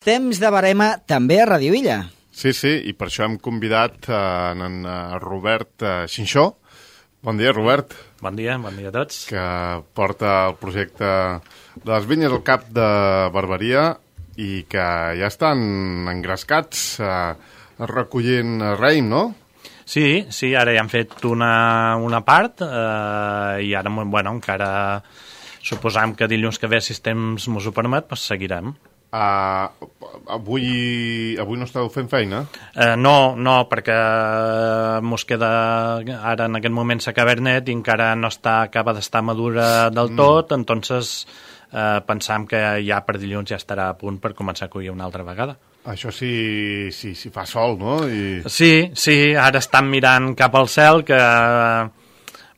Temps de barema també a Radio Illa. Sí, i per això hem convidat en Robert Xinxó. Bon dia, Robert. Bon dia a tots. Que porta el projecte de les vinyes al Cap de Barberia i que ja estan engrescats recollint raïm, no? Sí, ara ja hem fet una part i ara, encara suposam que dilluns que ve, si el temps mos ho permet, doncs seguirem. Avui no esteu fent feina? No, perquè mos queda ara en aquest moment la Cabernet i encara no acaba d'estar madura del tot, entonces pensam que ja per dilluns ja estarà a punt per començar a collir una altra vegada. Això sí fa sol, no? Sí, ara estan mirant cap al cel, que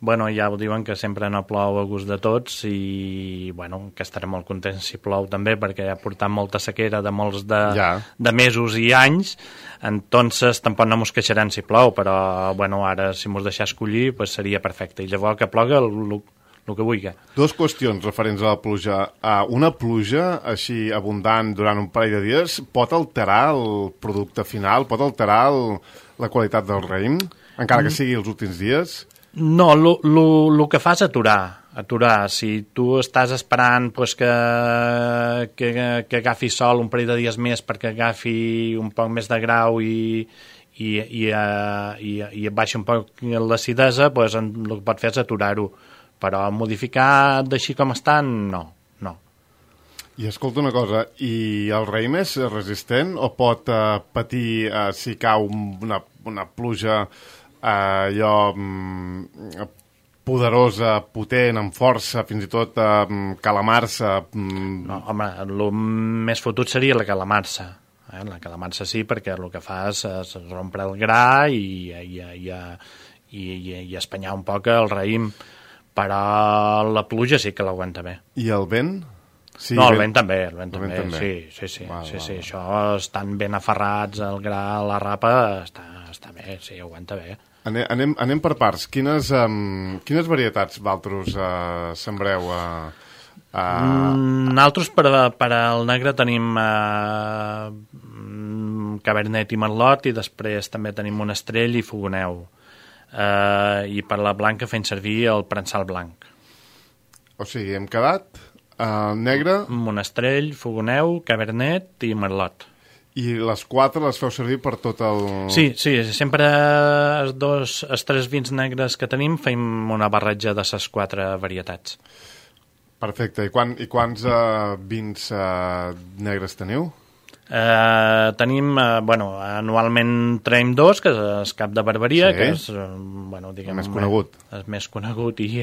ja ho diuen que sempre no plou a gust de tots i que estarem molt contents si plou també, perquè ha portat molta sequera de molts de mesos i anys, entonces tampoc no mos queixarem si plou, però ara si mos deixar escollir pues seria perfecte, i llavors que ploga el que vulgui. Dues qüestions referents a la pluja. Una pluja així abundant durant un parell de dies pot alterar el producte final, pot alterar la qualitat del raïm, encara que sigui els últims dies? No, el que fa és aturar. Si tu estàs esperant que agafi sol un parell de dies més perquè agafi un poc més de grau i baixi un poc l'acidesa, el que pot fer és aturar-ho. Però modificar d'així com estan, no. I escolta una cosa, i el raïm és resistent o pot patir si cau una pluja poderosa, potent, amb força, fins i tot calamar-se? No, home, el més fotut seria la calamar-se. La calamar-se sí, perquè el que fa és rompre el gra i espanyar un poc el raïm, però la pluja sí que l'aguanta bé. I el vent? Sí, no, el vent també. Sí. Això estan ben aferrats, el gra, la rapa, està bé, sí, aguanta bé. Anem per parts. Quines varietats vosaltres sembreu? Nosaltres per al negre tenim Cabernet i Merlot, i després també tenim Monestrell i Fogoneu. I per la blanca fem servir el prensal blanc. O sigui, hem quedat negre... Monestrell, Fogoneu, Cabernet i Merlot. I les quatre les feu servir per tot el... Sí, sempre els tres vins negres que tenim fem una barreja de les quatre varietats. Perfecte. I quants vins negres teniu? Tenim, anualment traiem dos, que és el Cap de Barberia, que és, diguem, més conegut. És més conegut i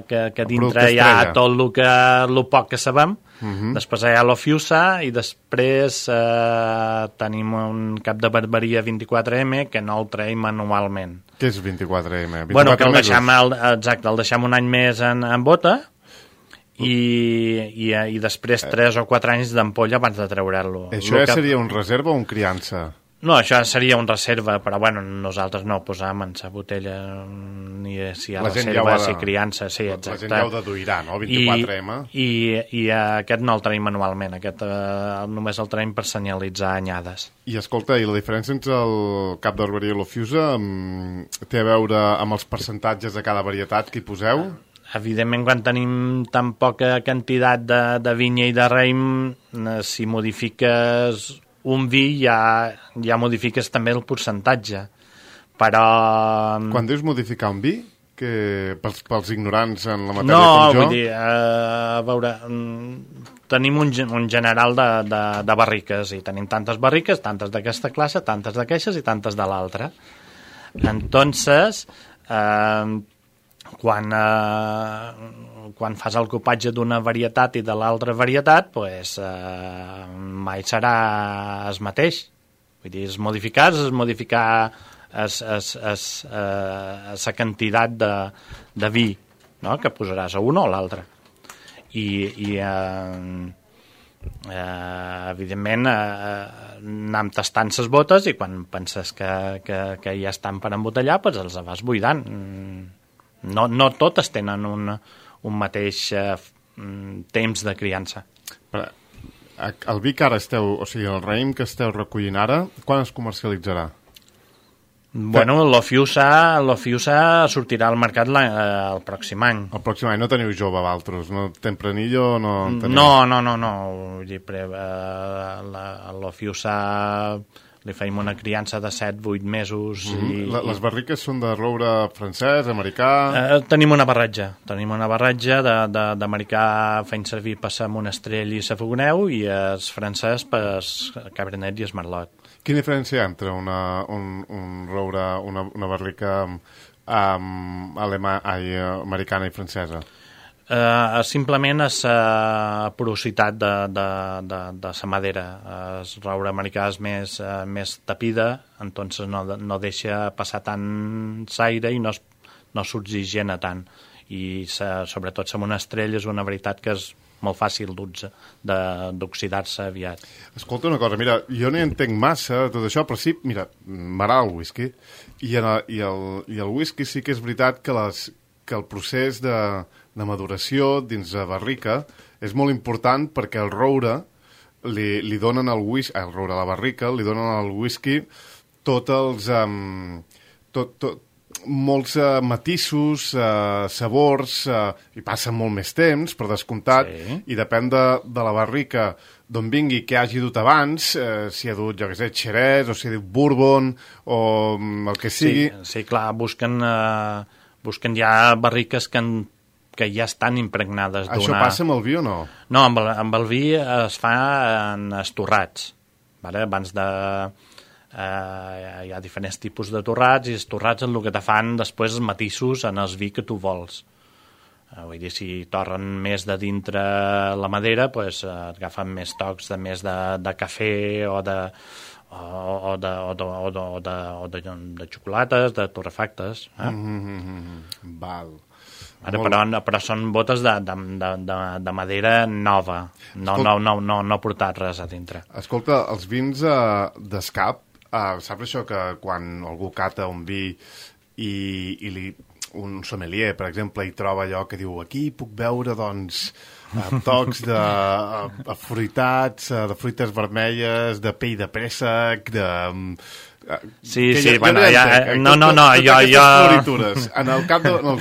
que dintre hi ha tot el poc que sabem. Després hi ha l'Ofiusa i després tenim un Cap de Barberia 24M que no el traiem anualment. Què és 24M? Que el deixem un any més en bota i després 3 o 4 anys d'ampolla abans de treure-lo. Això ja seria un reserva o un criança? No, això seria un reserva, però nosaltres no ho posam en la botella ni si hi ha reserva, si criança, sí, exacte. La gent ja ho deduirà, no? 24M. I aquest no el traiem manualment, aquest només el traiem per senyalitzar anyades. I escolta, i la diferència entre el Cap de Barberia i l'Ofiusa té a veure amb els percentatges de cada varietat que hi poseu? Evidentment, quan tenim tan poca quantitat de vinya i de raïm, si modifiques un vi ja modifiques també el percentatge. Però... Quan dius modificar un vi, que pels ignorants en la matèria com jo... No, vull dir, a veure, tenim un general de barriques, i tenim tantes barriques, tantes d'aquesta classe, tantes d'aquestes i tantes de l'altra. Entonces... Quan fas el copatge d'una varietat i de l'altra varietat, mai serà el mateix. Vull dir, modificar la quantitat de vi, no?, que posaràs a una o a l'altra. I evidentment, anem tastant les botes i quan penses que ja estan per embotellar, els vas buidant. No totes tenen un mateix temps de criança. El vi que ara esteu, o sigui, el raïm que esteu recollint ara, quan es comercialitzarà? Bueno, l'Ofiusa sortirà al mercat el pròxim any. El pròxim any no teniu jove, Valtros? No Tempranillo? No teniu... No. Vull dir, l'Ofiusa li feim una criança de 7-8 mesos. Les barriques són de roure francès, americà... Tenim una barratja d'americà fent servir per sa monestrell i sa fogoneu, i el francès per cabernet i el merlot. Quina diferència hi ha entre un roure, una barrica americana i francesa? Simplement és la porositat de la madera. El roure americà és més tapida, entonces no deixa passar tant l'aire i no s'oxigena tant. I sobretot la monestrell és una veritat que és molt fàcil d'oxidar-se aviat. Escolta una cosa, mira, jo no hi entenc massa tot això, però sí, mira, m'agrada el whisky, i el whisky sí que és veritat que el procés de maduració dins la barrica és molt important, perquè el roure li donen al whisky, el roure a la barrica, li donen al whisky tots els... molts matisos, sabors, i passen molt més temps, per descomptat, sí. I depèn de la barrica d'on vingui, que hagi dut abans, si ha dut, jo què sé, xerès, o si ha dut bourbon, o el que sigui. Sí, clar, busquen ja barriques que ja estan impregnades d'una... Això passa amb el vi o no? No, amb el vi es fa en estorrats, vale? Abans de... hi ha diferents tipus de torrats, i els torrats el que te fan després els matisos en el vi que tu vols. Vull dir, si torren més de dintre la madera, pues, agafen més tocs de cafè o de xocolates, de torrefactes. Val. Però són botes de madera nova, no portat res a dintre. Escolta, els vins d'escap, saps això que quan algú cata un vi i un sommelier, per exemple, hi troba allò que diu, aquí puc veure, doncs, tocs de fruitats, de fruites vermelles, de pell de préssec, de... Sí, bueno, jo... floritures. En els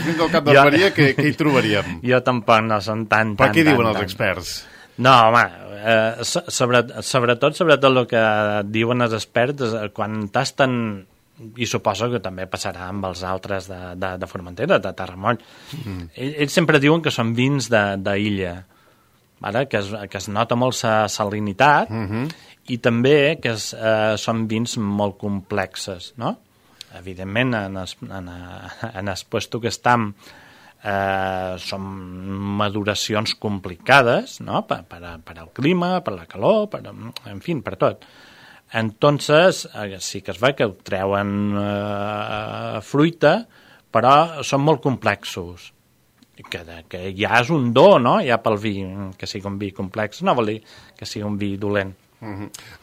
vins del Cap d'Alberia, què hi trobaríem? Jo tampoc no són tant. Però què diuen els experts? No, home, sobretot el que diuen els experts, quan tasten, i suposo que també passarà amb els altres de Formentera, de Terramoll, ells sempre diuen que són vins d'illa, que es nota molt la salinitat, i també que són vins molt complexes, no? Evidentment, en el puesto que estem, són maduracions complicades, no? Per al clima, per la calor, en fi, per tot. Entonces, sí que es veu que ho treuen fruita, però són molt complexos. Que ja és un do, no? Ja pel vi, que sigui un vi complex, no vol dir que sigui un vi dolent.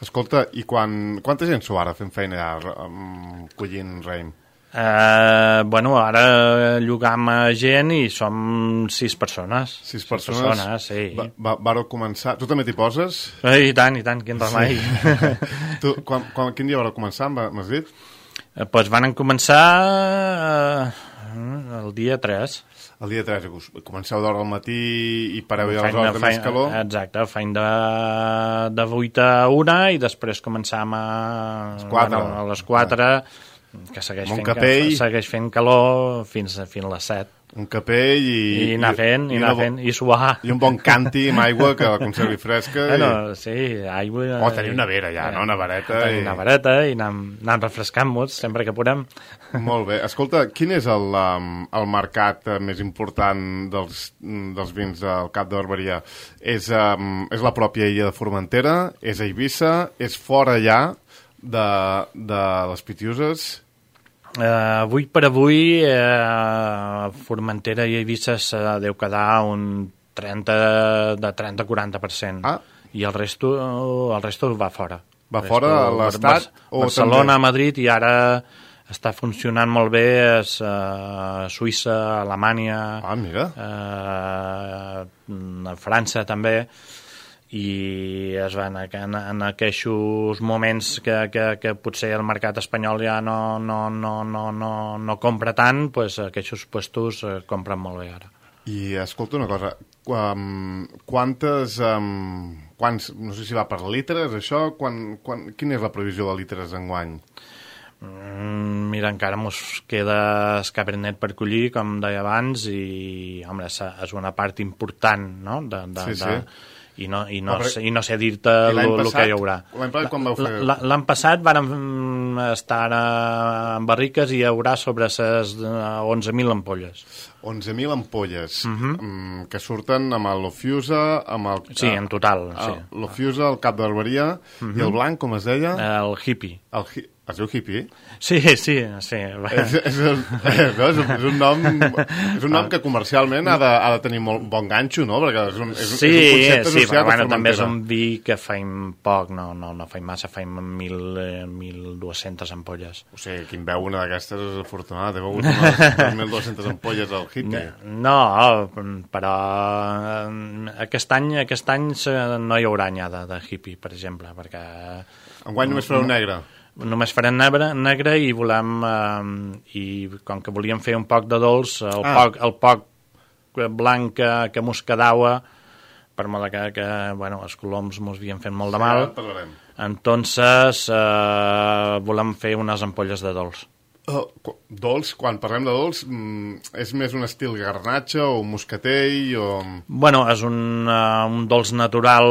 Escolta, i quanta gent sou ara fent feina collint raïm? Bueno, ara llogam gent i som 6 persones. 6 persones? Sí. Vareu començar... Tu també t'hi poses? I tant, quin remei. Sí. Quin dia vareu començar, m'has dit? Doncs van començar el dia 3. El dia 3, comenceu d'hora al matí i pareu ja les hores de més calor? Exacte, feim de 8 a 1 i després començam a les 4, que segueix fent calor fins a les 7. Un capell i anar fent, i suar. I un bon canti amb aigua que la conservi fresca. Bueno, sí, aigua... Tenim nevera ja, no? Nevereta. Tenim nevereta i anem refrescant-nos sempre que podem. Molt bé. Escolta, quin és el mercat més important dels vins del Cap de Barberia? És la pròpia illa de Formentera? És a Eivissa? És fora ja de les Pitiuses? Avui per avui Formentera i Eivissa deu quedar un 30-40%. I el resto va fora. Va fora de l'Estat? Barcelona, Madrid, i ara està funcionant molt bé Suïssa, Alemanya, mira. França també, i es van en aquests moments que potser el mercat espanyol ja no compra tant, doncs aquests puestos compren molt bé ara. I escolta una cosa, quants, no sé si va per litres això, quina és la previsió de litres enguany? Mira, encara mos queda Cabernet per collir, com deia abans, i home, és una part important, no? Sí. I no sé dir-te el que hi haurà. L'any passat quan vau fer? L'any passat vam estar en barriques i hi haurà sobre les 11.000 ampolles. 11.000 ampolles, que surten amb l'Ofiusa, amb el... Sí, en total, sí. L'Ofiusa, el Cap d'Arberia, i el blanc, com es deia? El hippie. Es diu hippie? Sí. És un nom que comercialment ha de tenir molt bon ganxo, no? Perquè és un concepte associat però a també és un vi que faim poc, no faim massa, faim 1.200 ampolles. O sigui, qui en veu una d'aquestes és afortunat, he begut unes 1.200 ampolles al hippie. No, però aquest any no hi haurà anyada de hippie, per exemple, perquè... Enguany només fareu negre. Només farem negre i volem i com que volíem fer un poc de dolç, el poc blanc que mos quedava, per molt que bueno, els coloms mos havien fet molt de mal, entonces volem fer unes ampolles de dolç. Dolç, quan parlem de dolç, és més un estil garnatxa o moscatell o... Bueno, és un dolç natural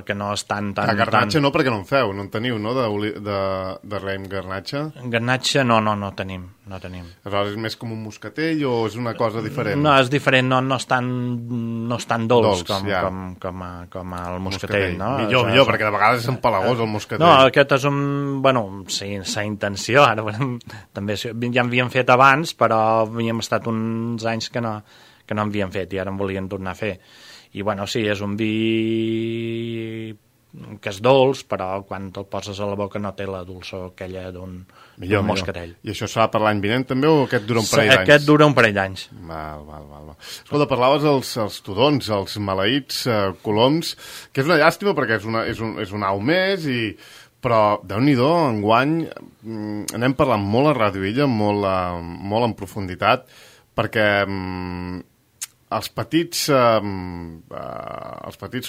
que no és tan... Garnatxa no, perquè no en feu, no en teniu, no, de raïm garnatxa? Garnatxa no tenim. Aleshores és més com un moscatell o és una cosa diferent? No, és diferent, no és tan dolç com el moscatell, no? Millor, perquè de vegades és empalagós el moscatell. No, aquest és un... Bueno, sí, sense intenció, ara també ja en havíem fet abans, però havíem estat uns anys que no en havíem fet i ara en volien tornar a fer. I bueno, sí, és un vi que és dolç, però quan te'l poses a la boca no té la dolçor aquella d'un moscatell. I això serà per l'any vinent també o aquest dura un parell d'anys? Aquest dura un parell d'anys. Val. Escolta, parlaves els tudons, els maleïts coloms, que és una llàstima perquè és un au més però, Déu-n'hi-do, enguany anem parlant molt a Ràdio Illa, molt en profunditat, perquè els petits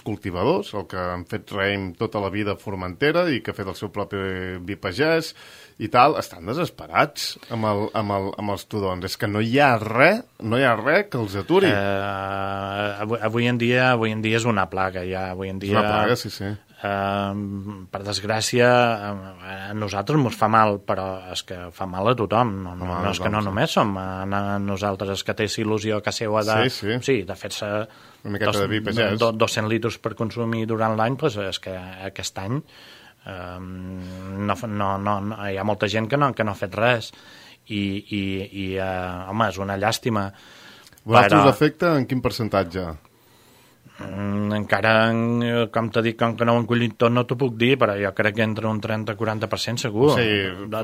cultivadors, el que han fet raïm tota la vida a Formentera i que ha fet el seu propi vi pagès i tal, estan desesperats amb els tudons. És que no hi ha res que els aturi. Avui en dia és una plaga, ja. Avui en dia... És una plaga, sí. Per desgràcia a nosaltres mos fa mal, però és que fa mal a tothom, no és que no només som a nosaltres, és que té il·lusió a casa seva de fer-se 200 litres per consumir durant l'any, doncs és que aquest any hi ha molta gent que no ha fet res i home, és una llàstima. Vosaltres us afecta en quin percentatge? Encara, com t'he dit, com que no ho hem collit tot, no t'ho puc dir, però jo crec que entre un 30-40% segur.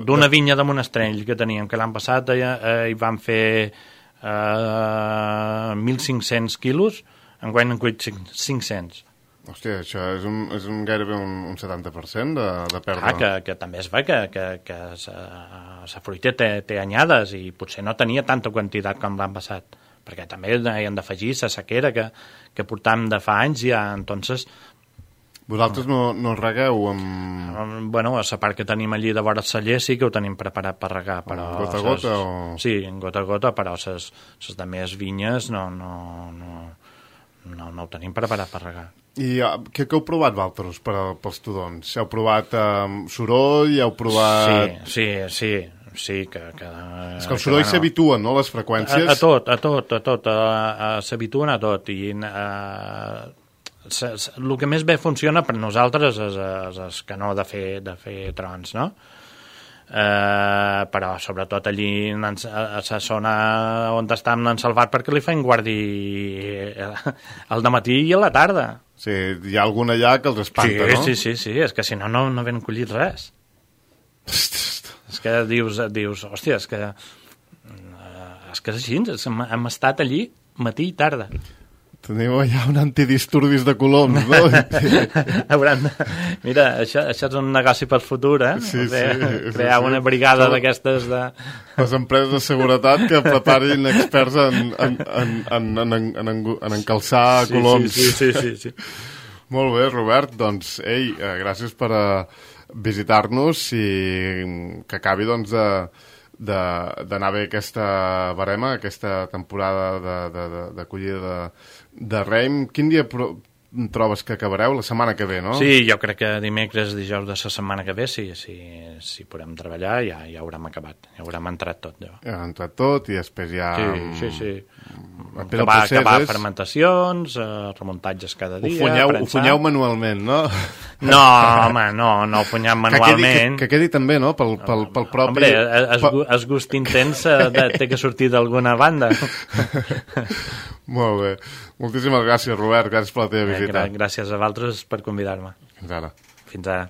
D'una vinya de Monestrell que teníem, que l'any passat hi van fer 1.500 quilos, enguany han collit 500. Hòstia, això és gairebé un 70% de pèrdua. Que també es ve que la fruita té anyades i potser no tenia tanta quantitat com l'any passat, perquè també hi han d'afegir la sequera que portam de fa anys ja, entonces... Vosaltres no regueu amb... Bueno, a la part que tenim allí de vora el celler sí que ho tenim preparat per regar, però... Gota a gota o...? Sí, gota a gota, però les de més vinyes no ho tenim preparat per regar. I què heu provat, vosaltres, pels tudons? Heu provat soroll, heu provat... Sí, que és que el soroll s'habituen, no?, les freqüències. A tot, s'habituen a tot, i el que més bé funciona per nosaltres és que no de fer trons, no? Però sobretot allí a la zona on estem en Salvat, perquè li feien guardi al dematí i a la tarda. Sí, hi ha algun allà que els espanta, no? Sí, és que si no ben collit res. És que dius, hòstia, és que és així, hem estat allí matí i tarda. Teniu ja un antidisturbis de coloms, no? Mira, això és un negoci per futur, eh? Sí, crear una brigada d'aquestes de... Les empreses de seguretat que preparin experts en encalçar coloms. Sí. Molt bé, Robert, doncs, gràcies per visitar-nos i que acabi, doncs, d'anar bé aquesta barema, aquesta temporada d'acollida de raïm. Quin dia trobes que acabareu? La setmana que ve, no? Sí, jo crec que dimecres, dijous de la setmana que ve, si podem treballar, ja haurem acabat, ja haurem entrat tot. Ja ha entrat tot i després ja... Sí. Acabar fermentacions, remuntatges cada dia... Ho funyeu manualment, no? No, home, no ho funyem manualment. Que quedi també, no?, pel propi... Hombre, el gust intens té que sortir d'alguna banda. Molt bé. Moltíssimes gràcies, Robert. Gràcies per la teva visita. Gràcies a vosaltres per convidar-me. Fins ara. Fins ara.